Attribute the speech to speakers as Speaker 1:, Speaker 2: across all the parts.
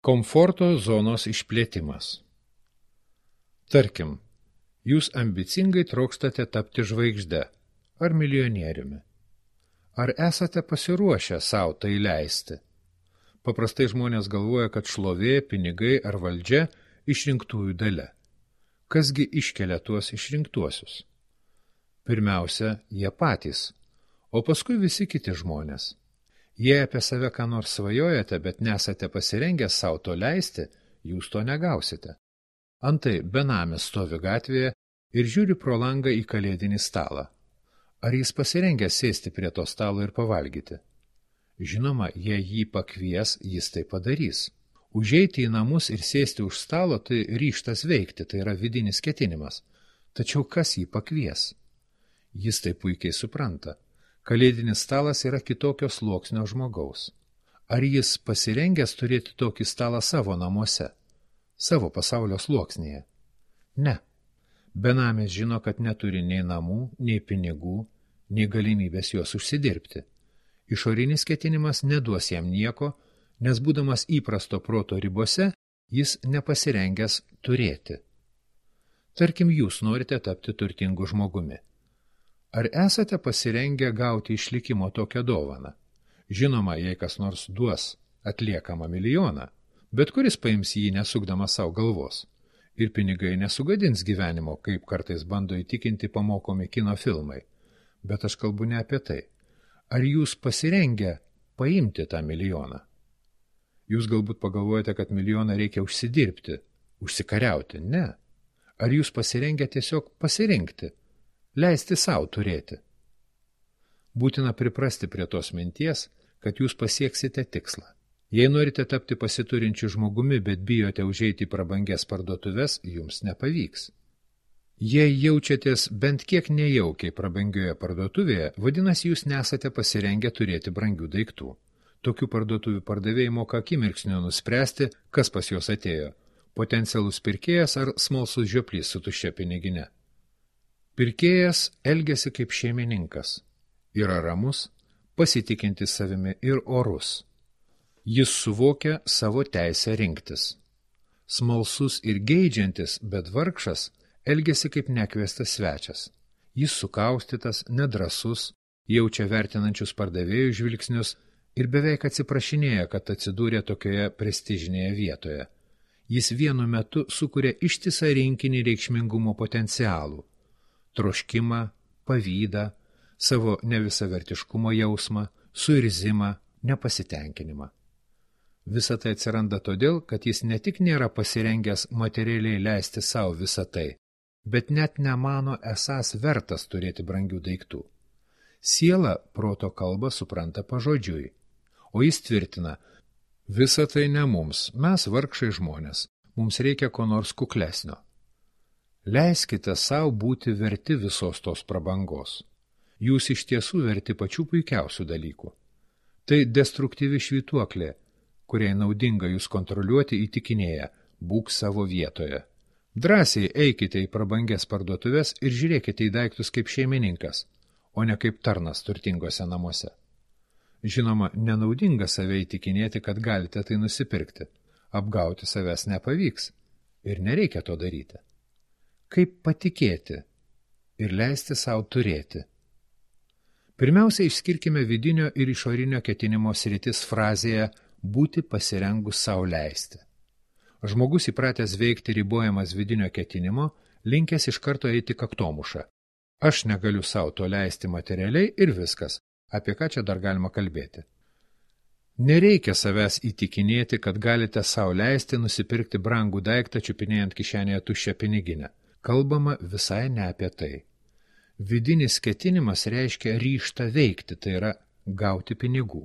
Speaker 1: Komforto zonos išplėtimas. Tarkim, jūs ambicingai trokstate tapti žvaigžde ar milijonieriumi. Ar esate pasiruošę savo tai leisti? Paprastai žmonės galvoja, kad šlovė, pinigai ar valdžia išrinktųjų dalia. Kasgi iškelia tuos išrinktuosius? Pirmiausia, jie patys, o paskui visi kiti žmonės. Jei apie save ką nors svajojate, bet nesate pasirengę savo to leisti, jūs to negausite. Antai benamis stovi gatvėje ir žiūri pro langą į kalėdinį stalą. Ar jis pasirengęs sėsti prie to stalo ir pavalgyti? Žinoma, jei jį pakvies, jis tai padarys. Užeiti į namus ir sėsti už stalo, tai ryžtas veikti, tai yra vidinis ketinimas. Tačiau kas jį pakvies? Jis tai puikiai supranta. Kalėdinis stalas yra kitokio sluoksnio žmogaus. Ar jis pasirengęs turėti tokį stalą savo namuose, savo pasaulio sluoksnyje? Ne. Benamis žino, kad neturi nei namų, nei pinigų, nei galimybės juos užsidirbti. Išorinis ketinimas neduos jam nieko, nes būdamas įprasto proto ribose, jis nepasirengęs turėti. Tarkim, jūs norite tapti turtingu žmogumi. Ar esate pasirengę gauti išlikimo tokią dovaną? Žinoma, jei kas nors duos atliekamą milijoną, bet kuris paims jį nesukdamas savo galvos. Ir pinigai nesugadins gyvenimo, kaip kartais bando įtikinti pamokomi kino filmai. Bet aš kalbu ne apie tai. Ar jūs pasirengę paimti tą milijoną? Jūs galbūt pagalvojate, kad milijoną reikia užsidirbti, užsikariauti. Ne. Ar jūs pasirengę tiesiog pasirinkti? Leisti savo turėti. Būtina priprasti prie tos minties, kad jūs pasieksite tikslą. Jei norite tapti pasiturinčiu žmogumi, bet bijote užeiti į prabangias parduotuves, jums nepavyks. Jei jaučiatės bent kiek nejaukiai prabangioje parduotuvėje, vadinasi, jūs nesate pasirengę turėti brangių daiktų. Tokių parduotuvių pardavėjai moka akimirksniu nuspręsti, kas pas juos atėjo – potencialus pirkėjas ar smalsus žioplys su tuščia pinigine. Pirkėjas elgiasi kaip šeimininkas, yra ramus, pasitikintis savimi ir orus. Jis suvokia savo teisę rinktis. Smalsus ir geidžiantis, bet vargšas, elgiasi kaip nekviestas svečias. Jis sukaustytas, nedrąsus, jaučia vertinančius pardavėjų žvilgsnius ir beveik atsiprašinėja, kad atsidūrė tokioje prestižinėje vietoje. Jis vienu metu sukuria ištisą rinkinį reikšmingumo potencialų. Troškimą, pavydą, savo nevisavertiškumo jausmą, suirzimą, nepasitenkinimą. Visa tai atsiranda todėl, kad jis ne tik nėra pasirengęs materialiai leisti savo visą tai, bet net nemano esąs vertas turėti brangių daiktų. Siela proto kalbą supranta pažodžiui, o jis tvirtina, visa tai ne mums, mes vargšai žmonės, mums reikia ko nors kuklesnio. Leiskite savo būti verti visos tos prabangos. Jūs iš tiesų verti pačių puikiausių dalykų. Tai destruktyvi švytuoklė, kuriai naudinga jūs kontroliuoti įtikinėja, būk savo vietoje. Drąsiai eikite į prabangias parduotuves ir žiūrėkite į daiktus kaip šeimininkas, o ne kaip tarnas turtingose namuose. Žinoma, nenaudinga save įtikinėti, kad galite tai nusipirkti. Apgauti savęs nepavyks ir nereikia to daryti. Kaip patikėti ir leisti savo turėti? Pirmiausia, išskirkime vidinio ir išorinio ketinimo sritis frazėje būti pasirengus savo leisti. Žmogus įpratęs veikti ribojamas vidinio ketinimo, linkęs iš karto eiti kaktomušą. Aš negaliu savo to leisti materialiai ir viskas, apie ką čia dar galima kalbėti. Nereikia savęs įtikinėti, kad galite savo leisti nusipirkti brangų daiktą čiupinėjant kišenėje tuščią piniginę. Kalbama visai ne apie tai. Vidinis ketinimas reiškia ryžtą veikti, tai yra gauti pinigų.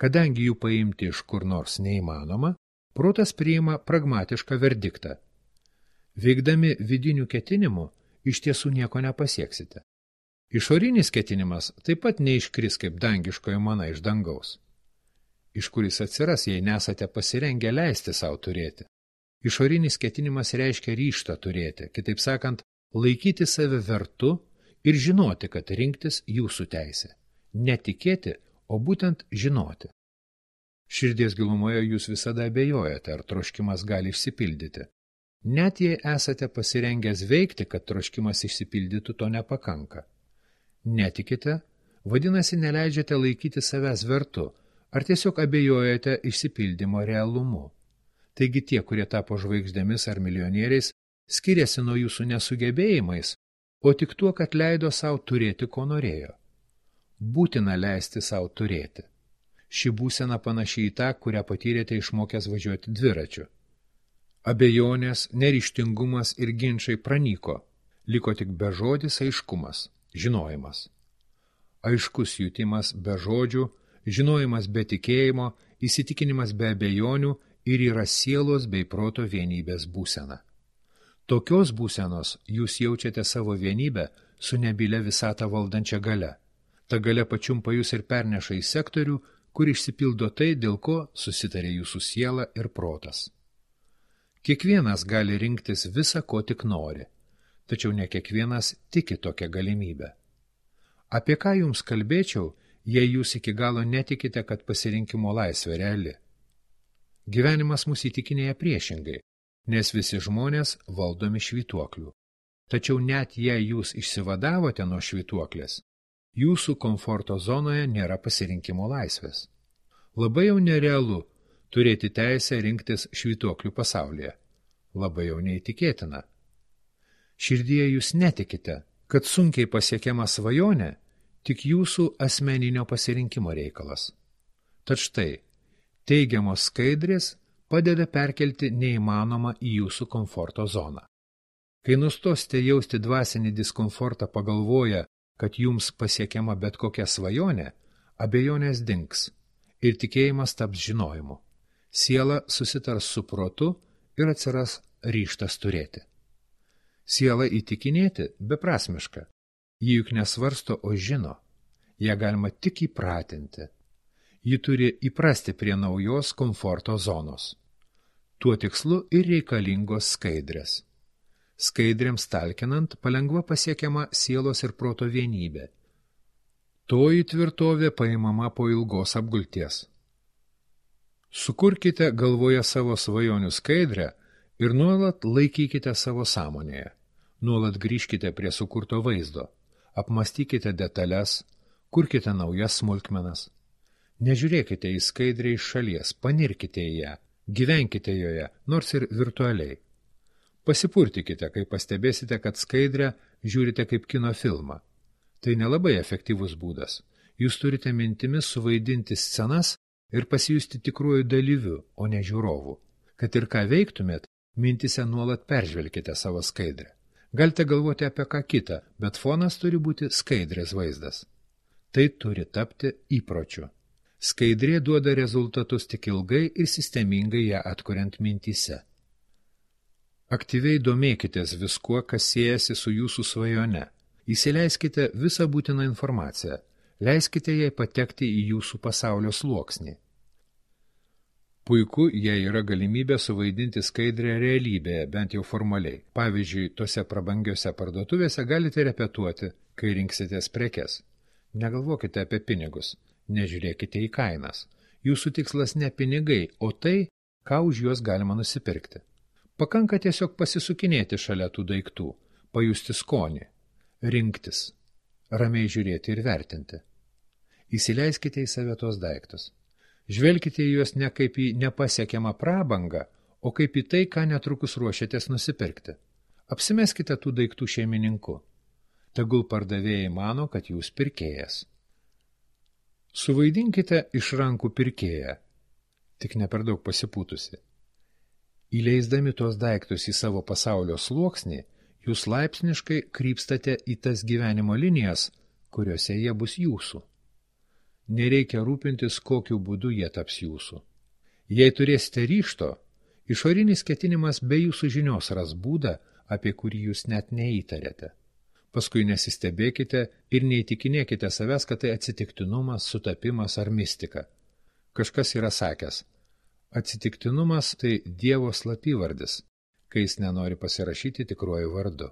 Speaker 1: Kadangi jų paimti iš kur nors neįmanoma, protas priima pragmatišką verdiktą. Veikdami vidinių ketinimų, iš tiesų nieko nepasieksite. Išorinis ketinimas taip pat neiškris kaip dangiškoji mana iš dangaus. Iš kuris atsiras, jei nesate pasirengę leisti savo turėti. Išorinis ketinimas reiškia ryžtą turėti, kitaip sakant, laikyti save vertu ir žinoti, kad rinktis jūsų teisė. Netikėti, o būtent žinoti. Širdies gilumoje jūs visada abejojate, ar troškimas gali išsipildyti. Net jei esate pasirengęs veikti, kad troškimas išsipildytų, to nepakanka. Netikite, vadinasi, neleidžiate laikyti savęs vertu, ar tiesiog abejojate išsipildymo realumu. Taigi tie, kurie tapo žvaigždėmis ar milijonieriais, skiriasi nuo jūsų nesugebėjimais, o tik tuo, kad leido savo turėti, ko norėjo. Būtina leisti savo turėti. Ši būsena panaši į tą, kurią patyrėte išmokęs važiuoti dviračiu. Abejonės, neryžtingumas ir ginčai pranyko, liko tik bežodis aiškumas, žinojimas. Aiškus jutimas be žodžių, žinojimas be tikėjimo, įsitikinimas be abejonių ir yra sielos bei proto vienybės būsena. Tokios būsenos jūs jaučiate savo vienybę su nebylė visatą valdančia galia. Ta galia pačiumpa jūs ir perneša į sektorių, kur išsipildo tai, dėl ko susitarė jūsų siela ir protas. Kiekvienas gali rinktis visą, ko tik nori, tačiau ne kiekvienas tiki tokią galimybę. Apie ką jums kalbėčiau, jei jūs iki galo netikite, kad pasirinkimo laisvė reali? Gyvenimas mus įtikinėja priešingai, nes visi žmonės valdomi švytuoklių. Tačiau net jei jūs išsivadavote nuo švytuoklės, jūsų komforto zonoje nėra pasirinkimo laisvės. Labai jau nerealu turėti teisę rinktis švytuoklių pasaulyje. Labai jau neįtikėtina. Širdyje jūs netikite, kad sunkiai pasiekiama svajonė tik jūsų asmeninio pasirinkimo reikalas. Tad štai, teigiamos skaidrės padeda perkelti neįmanomą į jūsų komforto zoną. Kai nustosite jausti dvasinį diskomfortą pagalvoję, kad jums pasiekiama bet kokia svajonė, abejonės dings ir tikėjimas taps žinojimu. Siela susitars su protu ir atsiras ryžtas turėti. Siela įtikinėti beprasmiška. Ji juk nesvarsto, o žino. Ją galima tik įpratinti. Ji turi įprasti prie naujos komforto zonos. Tuo tikslu ir reikalingos skaidrės. Skaidrėms talkinant palengva pasiekiama sielos ir proto vienybė. Toji tvirtovė paimama po ilgos apgulties. Sukurkite galvoje savo svajonių skaidrę ir nuolat laikykite savo sąmonėje. Nuolat grįžkite prie sukurto vaizdo. Apmastykite detalės, kurkite naujas smulkmenas. Nežiūrėkite į skaidrę iš šalies, panirkite į ją, gyvenkite joje, nors ir virtualiai. Pasipurtikite, kai pastebėsite, kad skaidrę žiūrite kaip kino filmą. Tai nelabai efektyvus būdas. Jūs turite mintimis suvaidinti scenas ir pasijusti tikruoju dalyviu, o ne žiūrovu. Kad ir ką veiktumėt, mintise nuolat peržvelkite savo skaidrę. Galite galvoti apie ką kitą, bet fonas turi būti skaidrės vaizdas. Tai turi tapti įpročiu. Skaidrė duoda rezultatus tik ilgai ir sistemingai ją atkuriant mintyse. Aktyviai domėkitės viskuo, kas siejasi su jūsų svajone. Įsileiskite visą būtiną informaciją. Leiskite jai patekti į jūsų pasaulio sluoksnį. Puiku, jei yra galimybė suvaidinti skaidrę realybėje, bent jau formaliai. Pavyzdžiui, tose prabangiose parduotuvėse galite repetuoti, kai rinksitės prekes. Negalvokite apie pinigus, nežiūrėkite į kainas. Jūsų tikslas ne pinigai, o tai, ką už juos galima nusipirkti. Pakanka tiesiog pasisukinėti šalia tų daiktų, pajusti skonį, rinktis, ramiai žiūrėti ir vertinti. Įsileiskite į save tos daiktus. Žvelkite į juos ne kaip į nepasiekiamą prabangą, o kaip į tai, ką netrukus ruošiatės nusipirkti. Apsimeskite tų daiktų šeimininku. Tegul pardavėjai mano, kad jūs pirkėjas. Suvaidinkite iš rankų pirkėją, tik ne per daug pasipūtusi. Įleisdami tos daiktus į savo pasaulio sluoksnį, jūs laipsniškai krypstate į tas gyvenimo linijas, kuriuose jie bus jūsų. Nereikia rūpintis, kokiu būdu jie taps jūsų. Jei turėsite ryžto, išorinis ketinimas be jūsų žinios ras būdą, apie kurį jūs net neįtarėte. Paskui nesistebėkite ir neįtikinėkite savęs, kad tai atsitiktinumas, sutapimas ar mistika. Kažkas yra sakęs, atsitiktinumas tai Dievo slapyvardis, kai jis nenori pasirašyti tikruoju vardu.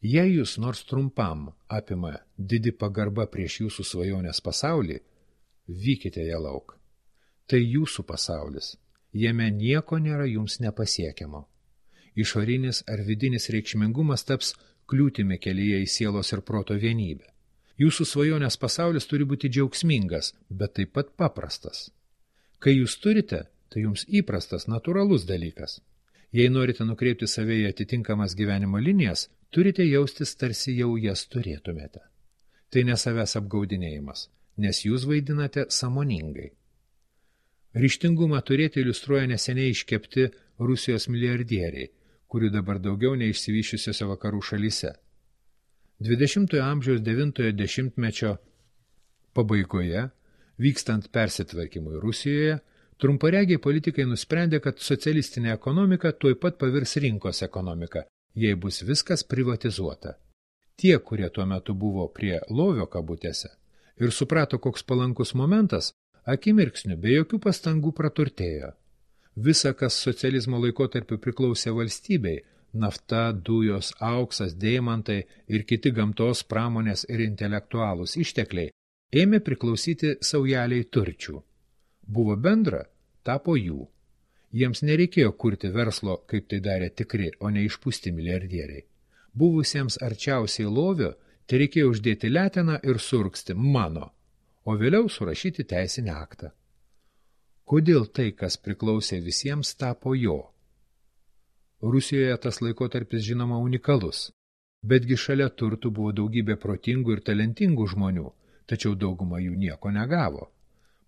Speaker 1: Jei jūs nors trumpam apima didi pagarba prieš jūsų svajonės pasaulį, vykite ją lauk. Tai jūsų pasaulis. Jame nieko nėra jums nepasiekiamo. Išorinis ar vidinis reikšmingumas taps kliūtimi kelyje į sielos ir proto vienybę. Jūsų svajonės pasaulis turi būti džiaugsmingas, bet taip pat paprastas. Kai jūs turite, tai jums įprastas, natūralus dalykas. Jei norite nukreipti save į atitinkamas gyvenimo linijas, turite jaustis tarsi jau jas turėtumėte. Tai ne savęs apgaudinėjimas, nes jūs vaidinate sąmoningai. Ryžtingumą turėti iliustruoja neseniai iškepti Rusijos milijardieriai, kurių dabar daugiau neišsivyščiusiose vakarų šalyse. 20-ojo amžiaus 9-ojo dešimtmečio pabaigoje, vykstant persitvarkymui Rusijoje, trumparegiai politikai nusprendė, kad socialistinė ekonomika tuoj pat pavirs rinkos ekonomika, jei bus viskas privatizuota. Tie, kurie tuo metu buvo prie lovio kabutėse ir suprato, koks palankus momentas, akimirksniu be jokių pastangų praturtėjo. Visa, kas socializmo laikotarpiu priklausė valstybei, nafta, dujos, auksas, deimantai ir kiti gamtos, pramonės ir intelektualūs ištekliai, ėmė priklausyti saujeliai turčių. Buvo bendra, tapo jų. Jiems nereikėjo kurti verslo, kaip tai darė tikri, o ne išpūsti milijardieriai. Buvusiems arčiausiai lovio, tai reikėjo uždėti leteną ir surgsti mano, o vėliau surašyti teisinį aktą. Kodėl tai, kas priklausė visiems, tapo jo? Rusijoje tas laikotarpis žinoma unikalus, betgi šalia turtų buvo daugybė protingų ir talentingų žmonių, tačiau dauguma jų nieko negavo.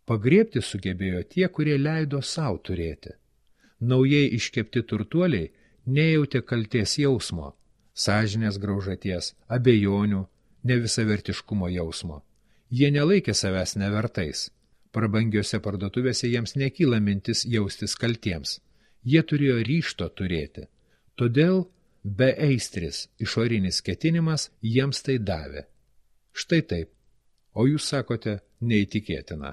Speaker 1: Pagriebti sugebėjo tie, kurie leido savo turėti. Naujai iškepti turtuoliai nejautė kaltės jausmo, sąžinės graužaties, abejonių, nevisavertiškumo jausmo. Jie nelaikė savęs nevertais. Prabangiose parduotuvėse jiems nekyla mintis jaustis kaltiems. Jie turėjo ryžto turėti. Todėl beaistris išorinis ketinimas jiems tai davė. Štai taip. O jūs sakote neįtikėtina.